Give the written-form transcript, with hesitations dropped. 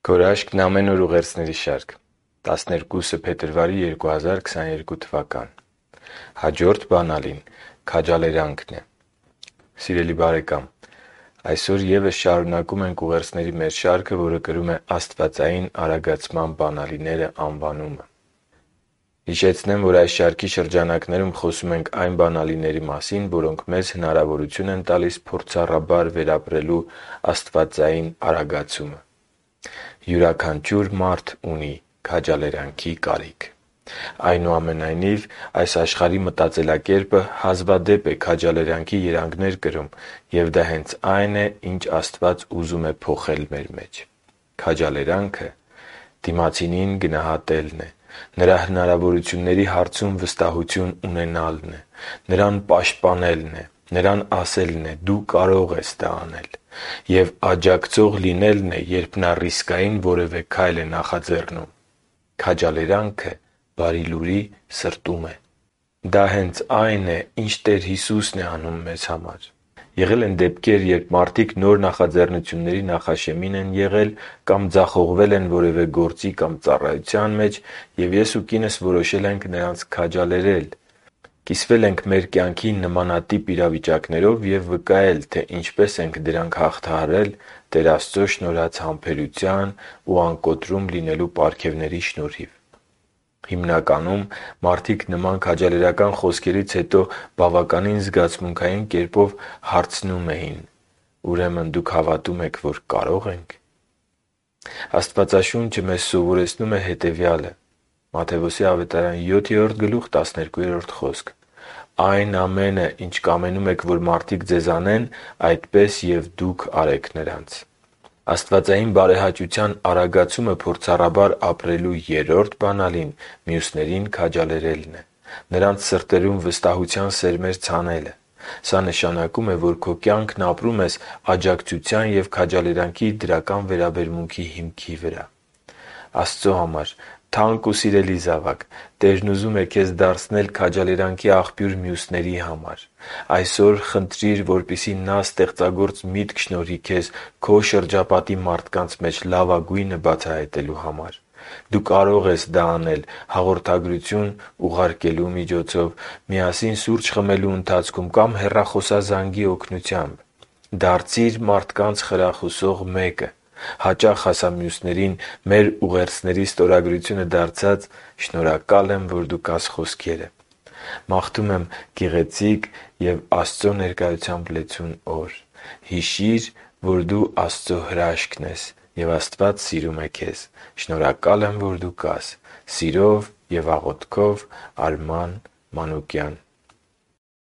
Գորաշկն ամեն օր ուղերձների շարք 12 փետրվարի 2022 թվական Հաջորդ բանալին քաջալերանքն է։ Սիրելի բարեկամ, այսօր ևս շարունակում ենք ուղերձների մեր շարքը, որը կրում է «Աստվածային արագացման բանալիները» անվանումը։ Հիշեցնեմ, որ այս շարքի շրջանակներում խոսում ենք այն բանալիների մասին, որոնք մեզ հնարավորություն են տալիս փորձառաբար վերապրելու աստվածային արագացումը։ Յուրաքանչյուր մարդ ունի քաջալերանքի կարիք։ Այնուամենայնիվ, այս աշխարհի մտածելակերպը հազվադեպ է քաջալերանքի երանգներ կրում, և դա հենց այն է, ինչ Աստված ուզում է փոխել մեր մեջ։ Քաջալերանքը դիմացինին գնահատելն է, նրա հնարավորությունների հարցում վստահություն ունենալն է, նրան պաշտպանելն է, նրան ասելն է՝ «Դու կարող ես դա անել», և աջակցող լինելն է, երբ նա ռիսկային որևէ քայլ է նախաձեռնում։ Քաջալերանքը Բարի Լուրի սրտում է։ Դա հենց այն է, ինչ Տեր Հիսուսն է անում մեզ համար։ Եղել են դեպքեր, երբ մարդիկ նոր նախաձեռնությունների նախաշեմին են եղել կամ ձախողվել են որևէ գործի կամ ծառայության մեջ, և ես ու կինս որոշել ենք նրանց քաջալերել։ Կիսվել ենք մեր կյանքի նմանատիպ իրավիճակներով և վկայել, թե ինչպես ենք դրանք հաղթահարել Տեր Աստծո շնորհած համբերության ու անկոտրում լինելու պարգևների շնորհիվ։ Հիմնականում մարդիկ նման քաջալերական խոսքերից հետո բավականին զգացմունքային կերպով հարցնում էին. «Ուրեմն դուք հավատում եք, որ կարո՞ղ ենք»։ Աստվածաշունչը մեզ սովորեցնում է հետևյալը. Մատթեոս 7:12 «Այն ամենը, ինչ կամենում եք, որ մարդիկ ձեզ անեն, այդպես և դուք արեք նրանց»։ Աստվածային բարեհաճության արագացումը փորձառաբար ապրելու երրորդ բանալին մյուսներին քաջալերելն է, նրանց սրտերում վստահության սերմեր ցանելը։ Սա նշանակում է, որ քո կյանքն ապրում ես աջակցության և քաջալերանքի դրական վերաբերմունքի հիմքի վրա։ Աստծո համար թանկ ու սիրելի զավակ, Տերն ուզում է քեզ դարձնել քաջալերանքի աղբյուր մյուսների համար։ Այսօր խնդրիր, որպեսզի Նա ստեղծագործ միտք շնորհի քեզ քո շրջապատի մարդկանց մեջ լավագույնը բացահայտելու համար։ Դու կարող ես դա անել հաղորդագրություն ուղարկելու միջոցով, միասին սուրճ խմելու ընթացքում կամ հեռախոսազանգի օգնությամբ։ Դարձիր մարդկանց խրախուսող մեկը։ Հաճախ ասա մյուսներին մեր ուղերձների ստորագրությունը դարձած «Շնորհակալ եմ, որ դու կաս» խոսքերը։ Մաղթում եմ գեղեցիկ և Աստծո ներկայությամբ լեցուն օր։ Հիշի՛ր, որ դու Աստծո հրաշքն ես, և Աստված սիրում է քեզ։ Շնորհակալ եմ, որ դու կաս։ Սիրով և աղոթքով, Արման Մանուկյան։